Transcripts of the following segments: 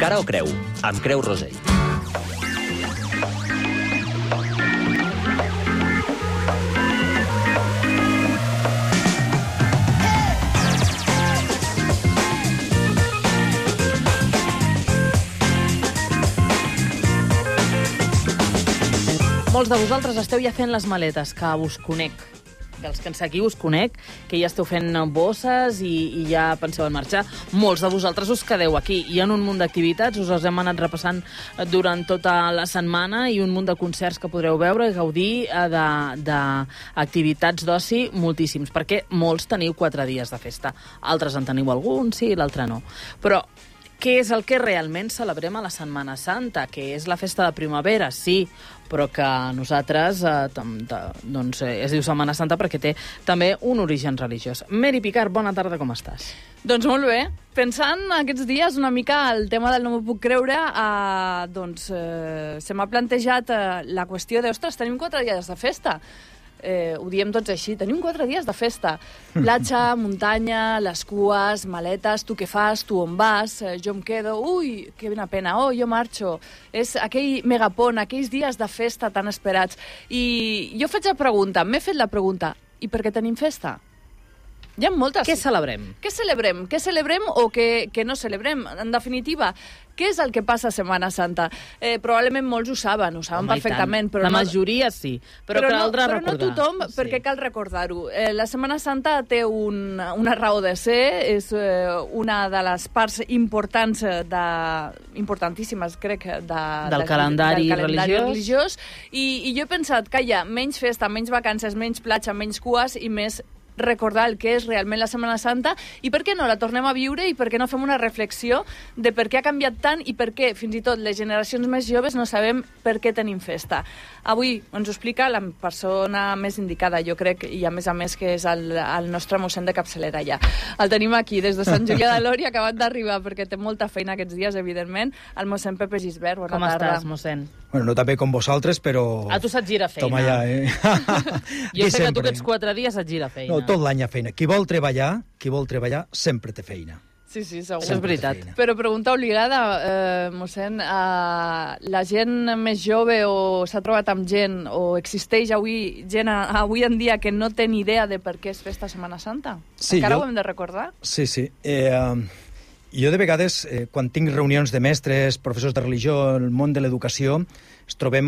Cara o creu, amb Creu Rosell. Molts de vosaltres esteu ja fent les maletes, que us conec. Els que ens seguiu us conec, que ja esteu fent bosses i ja penseu en marxar. Molts de vosaltres us quedeu aquí. Hi ha un munt d'activitats, us els hem anat repassant durant tota la setmana i un munt de concerts que podreu veure i gaudir d'activitats d'oci moltíssims, perquè molts teniu 4 dies de festa. Altres en teniu algun, sí, l'altre no. Però què és el que realment celebrem a la Setmana Santa? Que és la festa de primavera, sí, però que nosaltres es diu Setmana Santa perquè té també un origen religiós. Mary Picard, bona tarda, com estàs? Doncs molt bé. Pensant aquests dies una mica el tema del no m'ho puc creure, se m'ha plantejat la qüestió de, ostres, tenim 4 dies de festa. Ho diem tots així, tenim 4 dies de festa. Platja, muntanya, les cues, maletes, tu què fas, tu on vas, jo em quedo, ui, que pena, jo marxo. És aquell megapont, aquells dies de festa tan esperats. I jo m'he fet la pregunta, i per què tenim festa? Hi ha moltes... Què celebrem? Què celebrem? Què celebrem o què no celebrem? En definitiva, què és el que passa a Setmana Santa? Probablement molts ho saben perfectament. Però la majoria sí, però caldrà recordar. Però no tothom, perquè cal recordar-ho. La Setmana Santa té una raó de ser, és una de les parts importantíssimes, crec, del calendari religiós. I jo he pensat que hi ha menys festa, menys vacances, menys platja, menys cues i més recordar el que és realment la Setmana Santa i per què no la tornem a viure i per què no fem una reflexió de per què ha canviat tant i per què fins i tot les generacions més joves no sabem per què tenim festa. Avui ens ho explica la persona més indicada, jo crec, i a més que és el nostre mossèn de capçalera ja. El tenim aquí des de Sant Julià de Lòria, acabat d'arribar perquè té molta feina aquests dies, evidentment, el mossèn Pepe Gisbert. Bona tarda. Com estàs, mossèn? Bueno, no tan bé com vosaltres, però... A tu se't gira feina. Toma ja, Jo sé que tu aquests 4 dies et gira feina. No, tot l'any hi ha feina. Qui vol treballar, sempre té feina. Sí, segur. Això és veritat. Però pregunta obligada, mossèn, la gent més jove o s'ha trobat amb gent o existeix gent avui en dia que no té ni idea de per què és festa Setmana Santa? Sí, Encara ho hem de recordar? Sí. Jo de vegades, quan tinc reunions de mestres, professors de religió, el món de l'educació, es trobem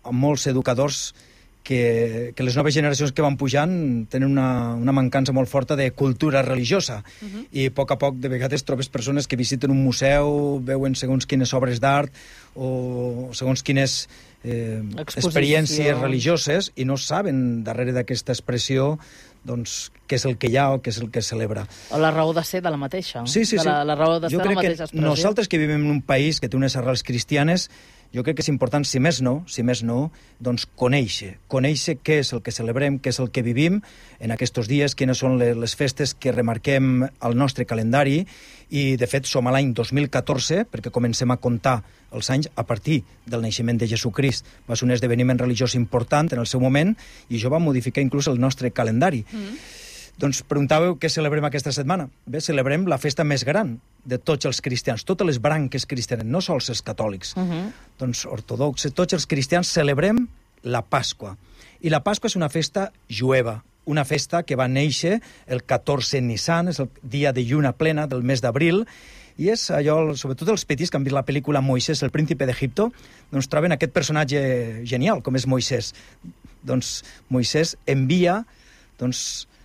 amb molts educadors que les noves generacions que van pujant tenen una mancança molt forta de cultura religiosa. I a poc, de vegades, trobes persones que visiten un museu, veuen segons quines obres d'art o segons quines experiències religioses i no saben, darrere d'aquesta expressió, doncs, què és el que hi ha o què és el que celebra. O la raó de ser de la mateixa. Sí. La raó de ser de la mateixa expressió. Nosaltres que vivim en un país que té unes arrels cristianes, jo crec que és important, si més no, doncs conèixer què és el que celebrem, què és el que vivim en aquests dies, quines són les festes que remarquem al nostre calendari, i de fet som a l'any 2014, perquè comencem a comptar els anys a partir del naixement de Jesucrist. Va ser un esdeveniment religiós important en el seu moment, i això va modificar inclús el nostre calendari. Doncs preguntàveu què celebrem aquesta setmana. Bé, celebrem la festa més gran de tots els cristians, totes les branques cristianes, no sols els catòlics, doncs ortodoxes, tots els cristians celebrem la Pasqua. I la Pasqua és una festa jueva, una festa que va néixer el 14 Nisan, és el dia de lluna plena del mes d'abril, i és allò, sobretot els petits que han vist la pel·lícula Moisès, el príncipe d'Egipto, doncs troben aquest personatge genial, com és Moisès. Doncs Moisès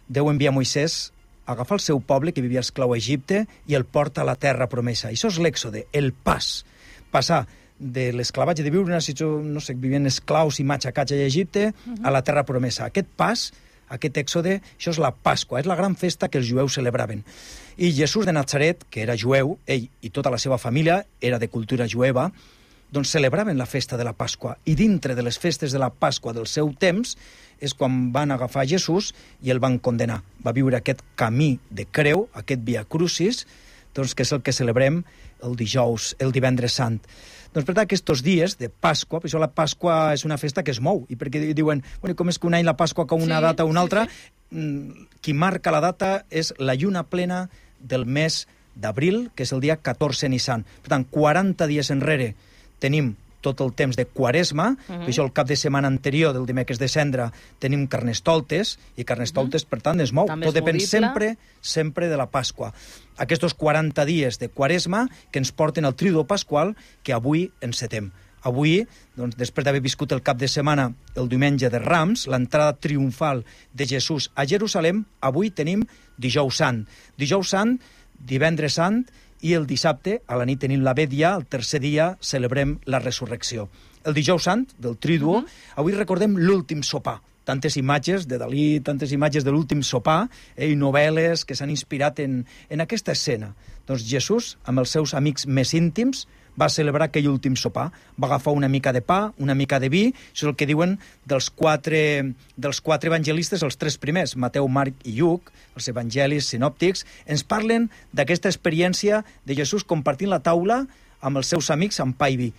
Déu envia Moisès a agafar el seu poble, que vivia esclau a Egipte, i el porta a la terra promesa. Això és l'èxode, el pas. Passar de l'esclavatge de viure una situació, no sé, vivien esclaus i matxacats a Egipte, a la terra promesa. Aquest pas, aquest èxode, això és la Pasqua, és la gran festa que els jueus celebraven. I Jesús de Natzaret, que era jueu, ell i tota la seva família era de cultura jueva, doncs celebraven la festa de la Pasqua. I dintre de les festes de la Pasqua del seu temps és quan van agafar Jesús i el van condenar. Va viure aquest camí de creu, aquest via crucis, doncs, que és el que celebrem el dijous, el divendres sant. Doncs per tant, aquests dies de Pasqua, per això la Pasqua és una festa que es mou, i perquè diuen, bueno, com és que un any la Pasqua com una data o una altra, qui marca la data és la lluna plena del mes d'abril, que és el dia 14 Nissan. Per tant, 40 dies enrere tenim tot el temps de Quaresma, per això el cap de setmana anterior del dimecres de Cendra tenim Carnestoltes, i Carnestoltes, per tant, es mou. També tot és depèn movible. sempre de la Pasqua. Aquests 40 dies de Quaresma que ens porten al Triduo Pasqual, que avui encetem. Avui, doncs, després d'haver viscut el cap de setmana, el diumenge de Rams, l'entrada triomfal de Jesús a Jerusalem, avui tenim Dijous Sant. Dijous Sant, Divendres Sant, i el dissabte, a la nit tenim la Vetlla, el tercer dia celebrem la Resurrecció. El Dijous Sant, del Triduo, avui recordem l'últim sopar. Tantes imatges de Dalí, tantes imatges de l'últim sopar, i novel·les que s'han inspirat en aquesta escena. Doncs Jesús, amb els seus amics més íntims, va celebrar aquell últim sopar. Va agafar una mica de pa, una mica de vi, això és el que diuen dels quatre evangelistes, els tres primers, Mateu, Marc i Lluc, els evangelis sinòptics, ens parlen d'aquesta experiència de Jesús compartint la taula amb els seus amics amb pa i vi.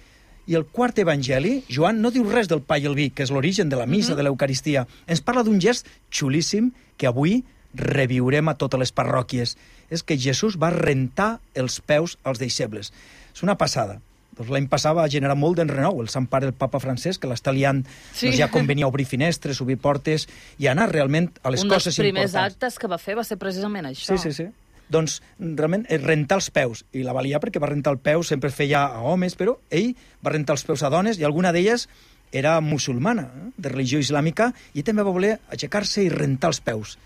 I el quart evangeli, Joan, no diu res del pa i el vi, que és l'origen de la missa, de l'Eucaristia. Ens parla d'un gest xulíssim que avui reviurem a totes les parròquies. És que Jesús va rentar els peus als deixebles. És una passada. Doncs l'any passat va generar molt d'enrenou el Sant Pare, el papa Francesc, que l'està liant, Sí. doncs ja convenia obrir finestres, obrir portes i anar realment a les coses importants. Un dels primers actes que va fer va ser precisament això. Sí. Doncs realment rentar els peus, i la va liar perquè va rentar el peu, sempre es feia a homes, però ell va rentar els peus a dones, i alguna d'elles era musulmana, de religió islàmica, i també va voler aixecar-se i rentar els peus.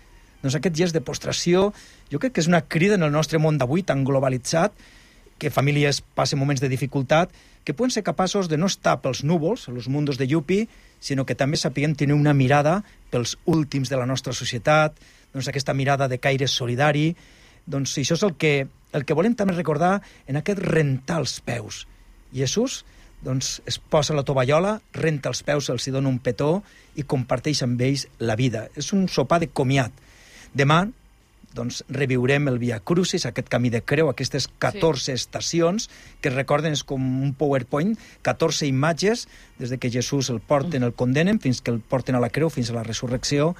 Doncs aquest gest de postració, jo crec que és una crida en el nostre món d'avui tan globalitzat, que famílies passen moments de dificultat, que poden ser capaços de no estar pels núvols, els mundos de Yupi, sinó que també sapiguem tenir una mirada pels últims de la nostra societat, doncs aquesta mirada de caire solidari. Doncs això és el que volem també recordar en aquest rentar els peus. Jesús doncs, es posa la tovallola, renta els peus, els hi dona un petó i comparteix amb ells la vida. És un sopar de comiat. Demà doncs, reviurem el Via Crucis, aquest camí de creu, aquestes 14 estacions, que recorden, és com un PowerPoint, 14 imatges, des de que Jesús el porten, el condenen, fins que el porten a la creu, fins a la resurrecció,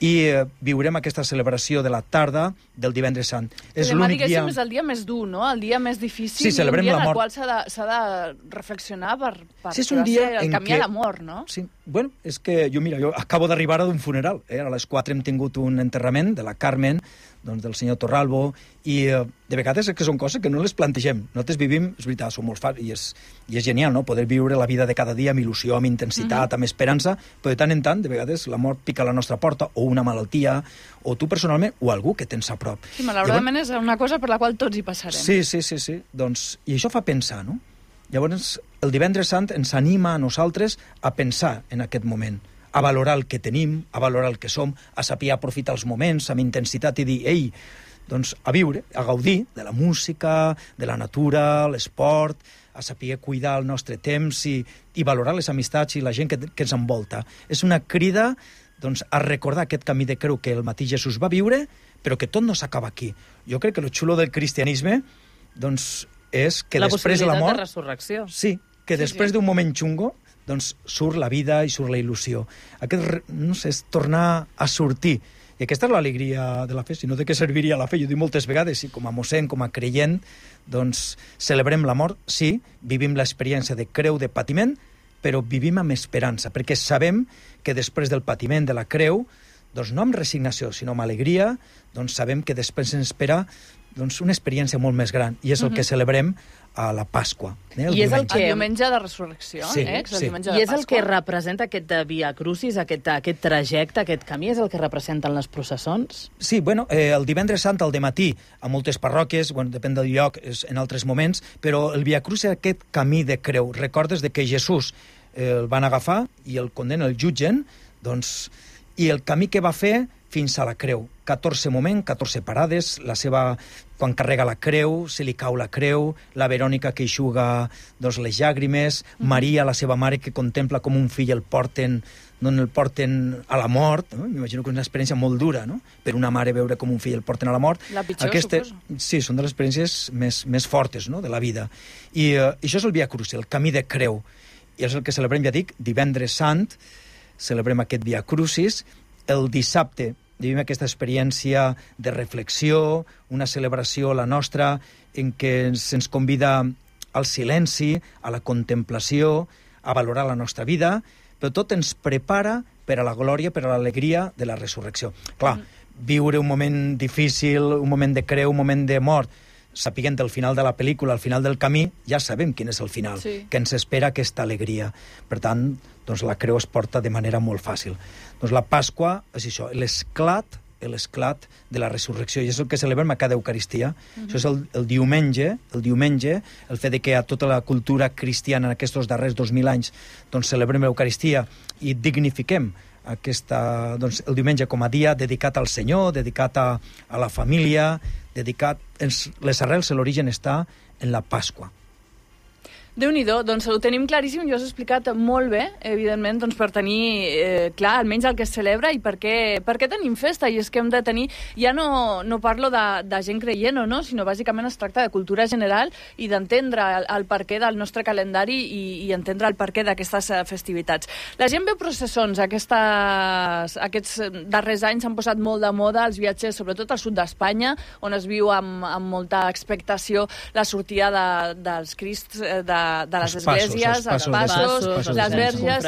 i viurem aquesta celebració de la tarda del Divendres Sant. És demà, l'únic dia... és el dia més dur, no? El dia més difícil, Sí, i un celebrem dia la en el mort. qual s'ha de reflexionar per Sí, és un dia el en camí què... a l'amor, no? Sí, bueno, és que jo acabo d'arribar d'un funeral. A les 4 hem tingut un enterrament de la Carmen, doncs, del senyor Torralbo, i de vegades és que són coses que no les plantegem. Nosaltres vivim, és veritat, som molt fans, i és genial, no?, poder viure la vida de cada dia amb il·lusió, amb intensitat, amb esperança, però de tant en tant, de vegades, la mort pica a la nostra porta, o una malaltia, o tu personalment, o algú que tens a prop. Sí, malauradament és una cosa per la qual tots hi passarem. Sí. Doncs, i això fa pensar, no? Llavors, el Divendres Sant ens anima a nosaltres a pensar en aquest moment, a valorar el que tenim, a valorar el que som, a saber aprofitar els moments amb intensitat i dir, ei, doncs a viure, a gaudir de la música, de la natura, l'esport, a saber cuidar el nostre temps i valorar les amistats i la gent que ens envolta. És una crida doncs, a recordar aquest camí de creu que el mateix Jesús va viure, però que tot no s'acaba aquí. Jo crec que el xulo del cristianisme doncs, és que després de la mort... La possibilitat de resurrecció. Sí, que després d'un moment xungo doncs surt la vida i surt la il·lusió. Aquest, no sé, és tornar a sortir. I aquesta és l'alegria de la fe. Si no, de què serviria la fe? Jo dic moltes vegades, sí, com a mossèn, com a creient, doncs celebrem la mort, sí, vivim l'experiència de creu, de patiment, però vivim amb esperança, perquè sabem que després del patiment de la creu, doncs no amb resignació, sinó amb alegria, doncs sabem que després ens espera doncs, una experiència molt més gran, i és el que celebrem a la Pasqua. I és el que... El diumenge de resurrecció, Sí, el sí. diumenge I de és el que Pasqua. representa aquest Via Crucis, aquest trajecte, aquest camí, és el que representen les processons? Sí, bueno, el Divendres Sant al dematí, a moltes parròquies, bueno, depèn del lloc, és en altres moments, però el Via Crucis és aquest camí de creu. Recordes de que Jesús el van agafar i el condenen, el jutgen, doncs, i el camí que va fer fins a la creu. 14 moments, 14 parades, la seva... Quan carrega la creu, se li cau la creu, la Verònica que eixuga doncs, les llàgrimes, Maria, la seva mare, que contempla com un fill el porten a la mort, no? M'imagino que és una experiència molt dura, no?, per una mare veure com un fill el porten a la mort. La pitjor, suposo. Sí, són de les experiències més fortes, no?, de la vida. I això és el Via Crucis, el camí de creu. I és el que celebrem, ja dic, Divendres Sant, celebrem aquest Via Crucis. El dissabte vivim aquesta experiència de reflexió, una celebració, la nostra, en què se'ns convida al silenci, a la contemplació, a valorar la nostra vida, però tot ens prepara per a la glòria, per a l'alegria de la resurrecció. Clar, viure un moment difícil, un moment de creu, un moment de mort, sapiguent el final de la pel·lícula, al final del camí, ja sabem quin és el final, que ens espera aquesta alegria. Per tant, doncs la creu es porta de manera molt fàcil. Doncs la Pasqua és això, l'esclat de la resurrecció, i és el que celebrem a cada Eucaristia. Això és el diumenge, el fet de que a tota la cultura cristiana en aquests darrers 2000 anys doncs celebrem l'Eucaristia i dignifiquem doncs, el diumenge com a dia dedicat al Senyor, dedicat a la família, dedicat... Les arrels, l'origen està en la Pasqua. Déu-n'hi-do, doncs ho tenim claríssim, jo us he explicat molt bé, evidentment, doncs per tenir clar almenys el que es celebra i per què tenim festa, i és que hem de tenir, ja no parlo de gent creient o no, sinó bàsicament es tracta de cultura general i d'entendre el perquè del nostre calendari i entendre el perquè d'aquestes festivitats. La gent veu processons, aquests darrers anys s'han posat molt de moda els viatges, sobretot al sud d'Espanya, on es viu amb molta expectació la sortida dels Crists, de les esglésies, els passos, les verges.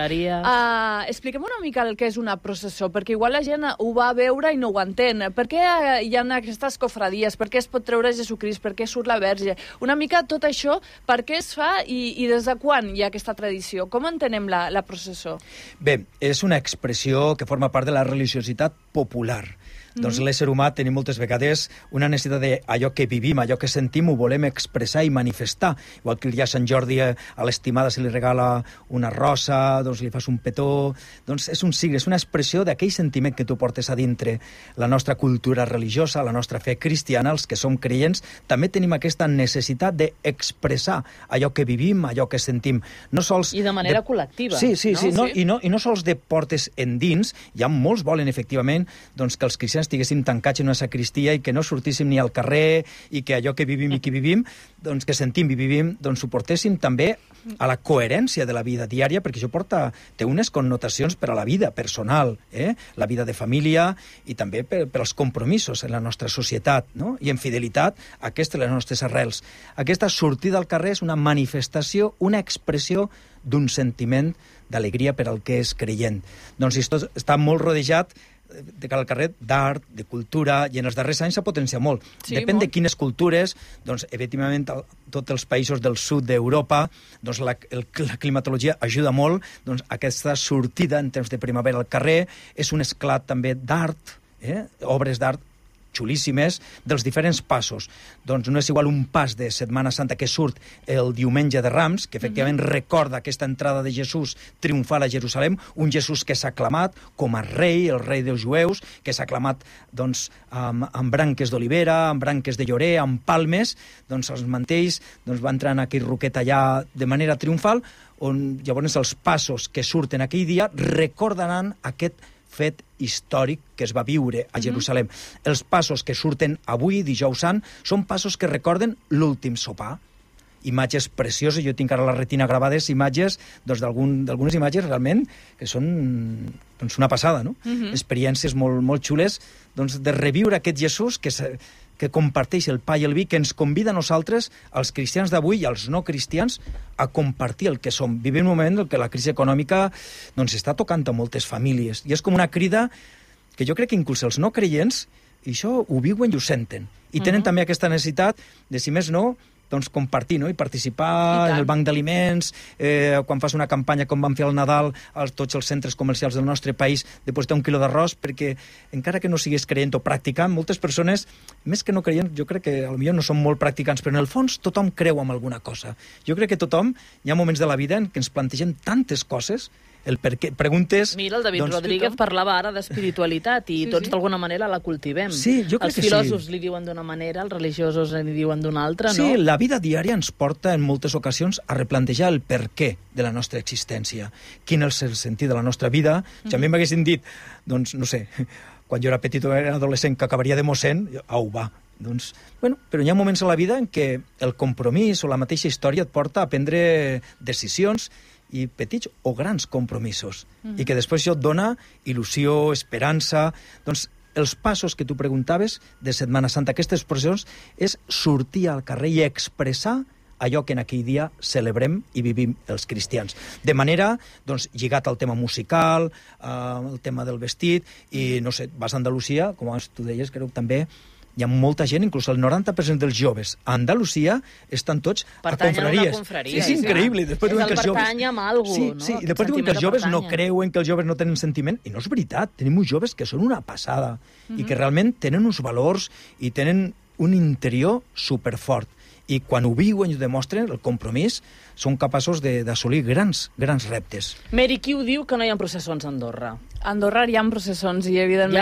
Expliquem una mica el que és una processó, perquè igual la gent ho va a veure i no ho entén. Per què hi ha aquestes cofradies? Per què es pot treure Jesucrist? Per què surt la verge? Una mica tot això, per què es fa i des de quan hi ha aquesta tradició? Com entenem la processó? Bé, és una expressió que forma part de la religiositat popular. Doncs l'ésser humà tenim moltes vegades una necessitat d'allò que vivim, allò que sentim, ho volem expressar i manifestar. Igual que el dia de Sant Jordi a l'estimada se li regala una rosa, doncs li fas un petó... Doncs és un signe, és una expressió d'aquell sentiment que tu portes a dintre. La nostra cultura religiosa, la nostra fe cristiana, els que som creients, també tenim aquesta necessitat d'expressar allò que vivim, allò que sentim. No sols I de manera col·lectiva. Sí. I no sols de portes endins. Hi ha molts volen, efectivament, doncs, que els cristians estiguéssim tancats en una sacristia i que no sortíssim ni al carrer i que allò que vivim i que vivim, doncs que sentim i vivim, doncs ho portéssim també a la coherència de la vida diària, perquè això té unes connotacions per a la vida personal, la vida de família i també per als compromisos en la nostra societat, no? I en fidelitat a aquestes les nostres arrels. Aquesta sortida al carrer és una manifestació, una expressió d'un sentiment d'alegria per al que és creient. Doncs esto està molt rodejat de cara al carrer d'art, de cultura, i en els darrers anys s'ha potenciat molt. Sí, Depèn molt. de quines cultures, doncs, evidentment, tots els països del sud d'Europa, doncs, la climatologia ajuda molt, doncs, aquesta sortida en temps de primavera al carrer és un esclat també d'art, obres d'art xulíssimes, dels diferents passos. Doncs no és igual un pas de Setmana Santa que surt el diumenge de Rams, que efectivament recorda aquesta entrada de Jesús triomfal a Jerusalem, un Jesús que s'ha aclamat com a rei, el rei dels jueus, que s'ha aclamat doncs, amb branques d'olivera, amb branques de llorer, amb palmes, doncs els mantells doncs, van entrar en aquell roquet allà de manera triomfal, on llavors els passos que surten aquell dia recordaran aquest fet històric que es va viure a Jerusalem. Els passos que surten avui, dijous sant, són passos que recorden l'últim sopar. Imatges precioses, jo tinc ara a la retina gravades imatges, doncs d'algunes imatges realment que són doncs, una passada, no? Experiències molt, molt xules doncs, de reviure aquest Jesús que comparteix el pa i el vi, que ens convida a nosaltres, als cristians d'avui i als no cristians, a compartir el que som. Vivim un moment en què la crisi econòmica doncs, està tocant a moltes famílies. I és com una crida que jo crec que inclús els no creients i això ho viuen i ho senten. I tenen també aquesta necessitat de, si més no, doncs compartir, no? I participar en el banc d'aliments, quan fas una campanya com van fer al Nadal a tots els centres comercials del nostre país, de posar 1 quilo d'arròs, perquè encara que no siguis creient o practicant, moltes persones, més que no creient, jo crec que potser no són molt practicants, però en el fons tothom creu en alguna cosa. Jo crec que tothom, hi ha moments de la vida en què ens plantegem tantes coses, el per què, preguntes... Mira, el David Rodríguez parlava ara d'espiritualitat i tots d'alguna manera la cultivem. Sí, jo crec que sí. Els filòsofs li diuen d'una manera, els religiosos li diuen d'una altra, no? Sí, la vida diària ens porta en moltes ocasions a replantejar el per què de la nostra existència. Quin és el sentit de la nostra vida? Si a mi m'haguessin dit, doncs, no sé, quan jo era petit o era adolescent que acabaria de mossèn, au, va. Doncs, bueno, però hi ha moments a la vida en què el compromís o la mateixa història et porta a prendre decisions i petits o grans compromisos, i que després això et dona il·lusió, esperança... Doncs els passos que tu preguntaves de Setmana Santa, aquestes processions, és sortir al carrer i expressar allò que en aquell dia celebrem i vivim els cristians. De manera, doncs, lligat al tema musical, el tema del vestit, i, no sé, vas a Andalusia, com abans tu deies, creu també hi ha molta gent, inclús el 90% dels joves a Andalusia estan tots pertanyen a confraries. A una confraria. És increïble. Després és el pertany amb algú, sí, no? Sí, i després diuen que els joves no creuen, que els joves no tenen sentiment, i no és veritat. Tenim uns joves que són una passada, i que realment tenen uns valors i tenen un interior superfort. I quan ho viuen i ho demostren, el compromís, són capaços d'assolir grans reptes. Mary, qui ho diu que no hi ha processons a Andorra? A Andorra hi ha processons i, evidentment,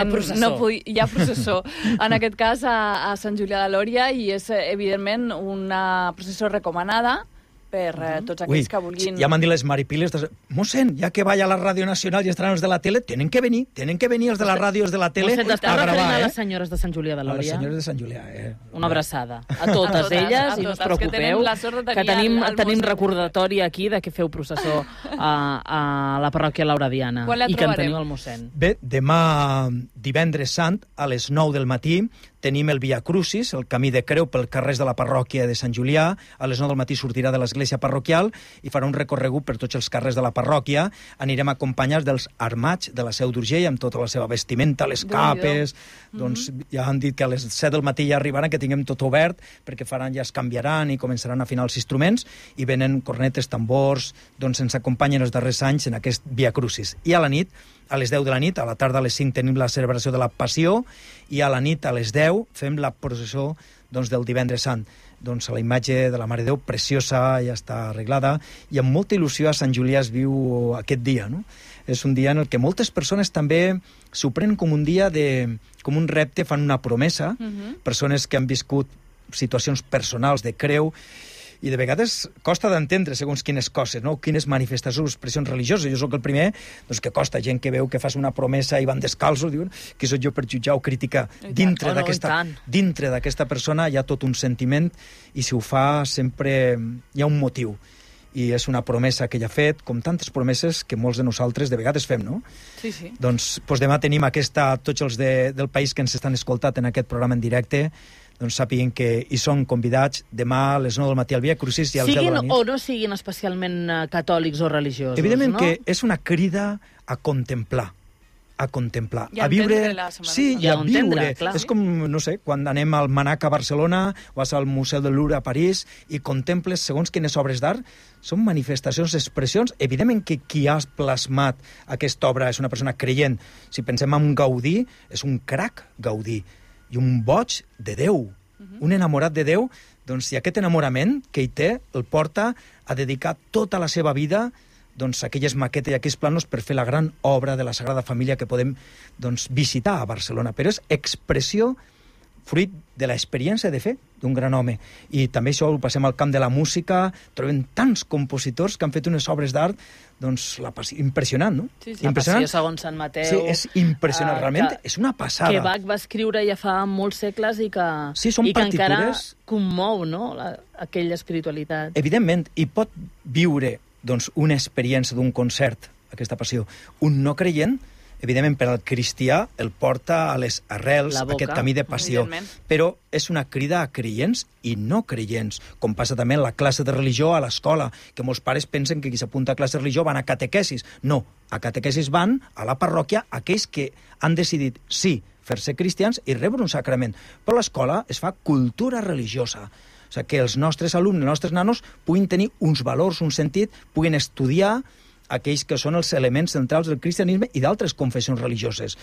hi ha processó. En aquest cas, a Sant Julià de Lòria, i és, evidentment, una processó recomanada per tots aquells que vulguin... Ja m'han dit les maripiles, mossèn, ja que vaya a la Ràdio Nacional i estaran els de la tele, tenen que venir els de la ràdio, els de la tele, a gravar, a les senyores de Sant Julià de Lòria. A les senyores de Sant Julià, Una abraçada a totes elles, i no us preocupeu, que tenim recordatori aquí de que feu processó a la parròquia Lauradiana i que en teniu el mossèn. Bé, demà, divendres sant, a les 9 del matí, tenim el Via Crucis, el camí de creu pel carrers de la parròquia de Sant Julià. A les 9 del matí sortirà de l'església parroquial i farà un recorregut per tots els carrers de la parròquia. Anirem acompanyats dels armats de la Seu d'Urgell, amb tota la seva vestimenta, les capes... Doncs ja han dit que a les 7 del matí ja arribaran, que tinguem tot obert, perquè ja es canviaran i començaran a afinar els instruments, i venen cornetes, tambors, doncs ens acompanyen els darrers anys en aquest Via Crucis. I a la nit, a les 10 de la nit, a la tarda a les 5 tenim la celebració de la Passió, i a la nit a les 10 fem la processó del divendres sant. Doncs la imatge de la Mare de Déu, preciosa, ja està arreglada, i amb molta il·lusió a Sant Julià es viu aquest dia, no? És un dia en el que moltes persones també s'ho prenen com un dia com un repte, fan una promesa, persones que han viscut situacions personals de creu, i de vegades costa d'entendre segons quines coses, no? Quines manifestacions, expressions religioses. Jo sóc el primer doncs, que costa, gent que veu que fas una promesa i van descalços, diuen que sóc jo per jutjar o criticar. Dintre d'aquesta persona hi ha tot un sentiment, i si ho fa sempre hi ha un motiu. I és una promesa que ella ha fet, com tantes promeses que molts de nosaltres de vegades fem, no? Sí, sí. Doncs demà tenim tots els del país que ens estan escoltant en aquest programa en directe, doncs sàpiguen que hi són convidats demà a les 9 del matí al Via Crucis i al 10 de la nit. Siguin o no siguin especialment catòlics o religiosos, evidentment, no? Que és una crida a contemplar, I a viure, i a viure. És com, no sé, quan anem al Manac a Barcelona, vas al Museu del Louvre a París i contemples segons quines obres d'art, són manifestacions, expressions. Evidentment que qui ha plasmat aquesta obra és una persona creient. Si pensem en Gaudí, és un crac Gaudí, i un boig de Déu, un enamorat de Déu, doncs si aquest enamorament que hi té el porta a dedicar tota la seva vida doncs, aquelles maquetes i aquells planos per fer la gran obra de la Sagrada Família que podem doncs, visitar a Barcelona. Però és expressió fruit de l'experiència de fer d'un gran home. I també això ho passem al camp de la música, trobem tants compositors que han fet unes obres d'art, doncs, impressionant, no? Sí, la Passió segons Sant Mateu. Sí, és impressionant, realment és una passada. Que Bach va escriure ja fa molts segles i que, que encara commou, no?, aquella espiritualitat. Evidentment, i pot viure doncs, una experiència d'un concert, aquesta Passió. Un no creient, evidentment, per al cristià el porta a les arrels, aquest camí de passió. Però és una crida a creients i no creients, com passa també en la classe de religió a l'escola, que molts pares pensen que qui s'apunta a classe de religió van a catequesis. No, a catequesis van a la parròquia aquells que han decidit, sí, fer-se cristians i rebre un sacrament. Però a l'escola es fa cultura religiosa. O sigui, que els nostres alumnes, els nostres nanos, puguin tenir uns valors, un sentit, puguin estudiar aquells que són els elements centrals del cristianisme i d'altres confessions religioses.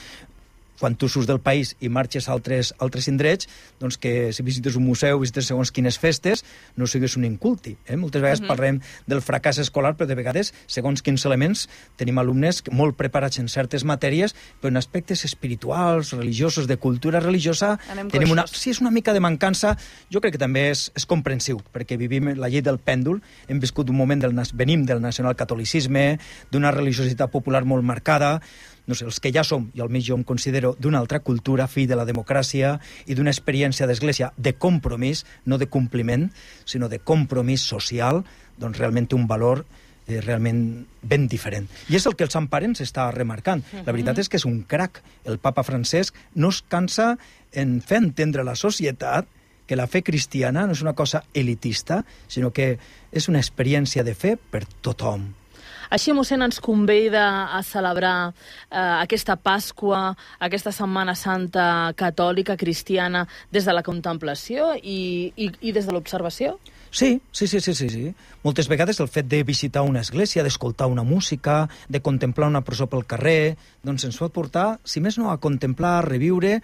Quan tu surts del país i marxes a altres indrets, doncs que si visites un museu, visites segons quines festes, no sigues un inculti. Moltes vegades parlem del fracàs escolar, però de vegades, segons quins elements, tenim alumnes molt preparats en certes matèries, però en aspectes espirituals, religiosos, de cultura religiosa, tenim és una mica de mancança. Jo crec que també és comprensiu, perquè vivim la llei del pèndol, hem viscut un moment, venim del nacionalcatolicisme, d'una religiositat popular molt marcada, no sé, els que ja som, i almenys jo em considero d'una altra cultura, fill de la democràcia i d'una experiència d'església de compromís, no de compliment, sinó de compromís social, doncs realment té un valor realment ben diferent. I és el que el Sant Pare ens està remarcant. La veritat és que és un crac. El papa Francesc no es cansa en fer entendre a la societat que la fe cristiana no és una cosa elitista, sinó que és una experiència de fe per tothom. Així, mossèn, ens convida a celebrar aquesta Pasqua, aquesta Setmana Santa catòlica, cristiana, des de la contemplació i des de l'observació? Sí. Moltes vegades el fet de visitar una església, d'escoltar una música, de contemplar una processó pel carrer, doncs ens pot portar, si més no, a contemplar, a reviure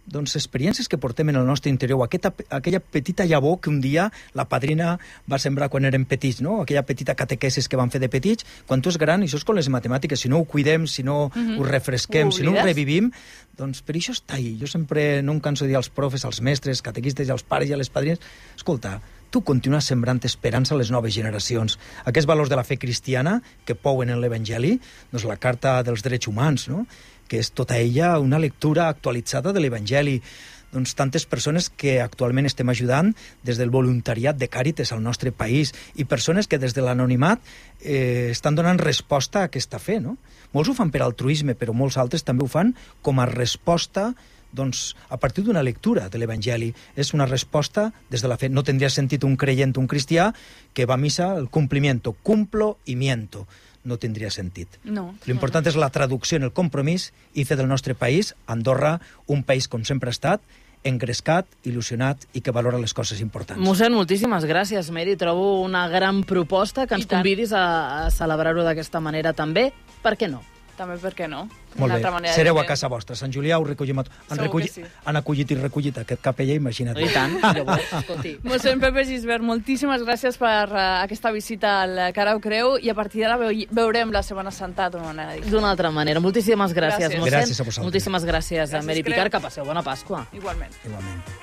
experiències que portem en el nostre interior, aquella petita llavor que un dia la padrina va sembrar quan érem petits, no? Aquella petita catequesis que van fer de petits. Quan tu és gran, això és com les matemàtiques, si no ho cuidem, si no ho refresquem, si no ho revivim, doncs per això està ahí. Jo sempre no em canso de dir als profes, als mestres, catequistes i als pares i a les padrines, escolta, tu continues sembrant esperança a les noves generacions. Aquests valors de la fe cristiana que pouen en l'Evangeli, doncs la Carta dels Drets Humans, no? Que és tota ella una lectura actualitzada de l'Evangeli. Doncs tantes persones que actualment estem ajudant des del voluntariat de Càritas al nostre país i persones que des de l'anonimat estan donant resposta a aquesta fe, no? Molts ho fan per altruisme, però molts altres també ho fan com a resposta a partir d'una lectura de l'Evangeli. És una resposta des de la fe. No tindria sentit un creient, un cristià, que va a missa el cumplimiento, cumplo y miento. No tindria sentit. No. L'important és la traducció en el compromís i fer del nostre país, Andorra, un país com sempre ha estat, engrescat, il·lusionat i que valora les coses importants. Mossèn, moltíssimes gràcies, Meri. Trobo una gran proposta que ens convidis a celebrar-ho d'aquesta manera també. Per què no? També, per què no? Molt bé, sereu a casa vostra. Sant Julià ho recollim a tot. Han acollit i recollit aquest capellà, imagina't. I tant, llavors, escolti. Mossèn Pepe Gisbert, moltíssimes gràcies per aquesta visita al Carau Creu i a partir d'ara veurem la Setmana Santa d'una manera diferent. D'una altra manera. Moltíssimes gràcies, mossèn. Gràcies a vosaltres. Moltíssimes gràcies a Meri Picard. Que passeu bona Pasqua. Igualment.